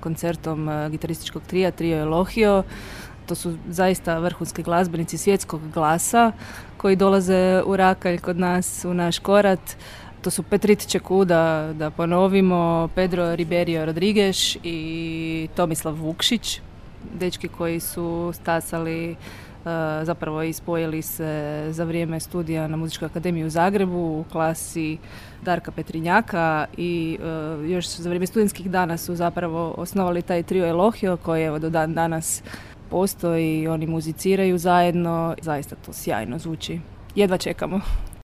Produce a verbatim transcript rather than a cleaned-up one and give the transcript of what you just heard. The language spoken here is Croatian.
koncertom gitarističkog trija, trio Elohio. To su zaista vrhunski glazbenici svjetskog glasa koji dolaze u Rakalj kod nas, u naš Korat. To su Petrit Čekuda, da ponovimo, Pedro Riberio Rodriguez i Tomislav Vukšić, dečki koji su stasali, zapravo i spojili se za vrijeme studija na Muzičkoj akademiji u Zagrebu u klasi Darka Petrinjaka i još za vrijeme studentskih dana su zapravo osnovali taj trio Elohio koji evo do dan danas postoji, oni muziciraju zajedno, zaista to sjajno zvuči. Jedva čekamo.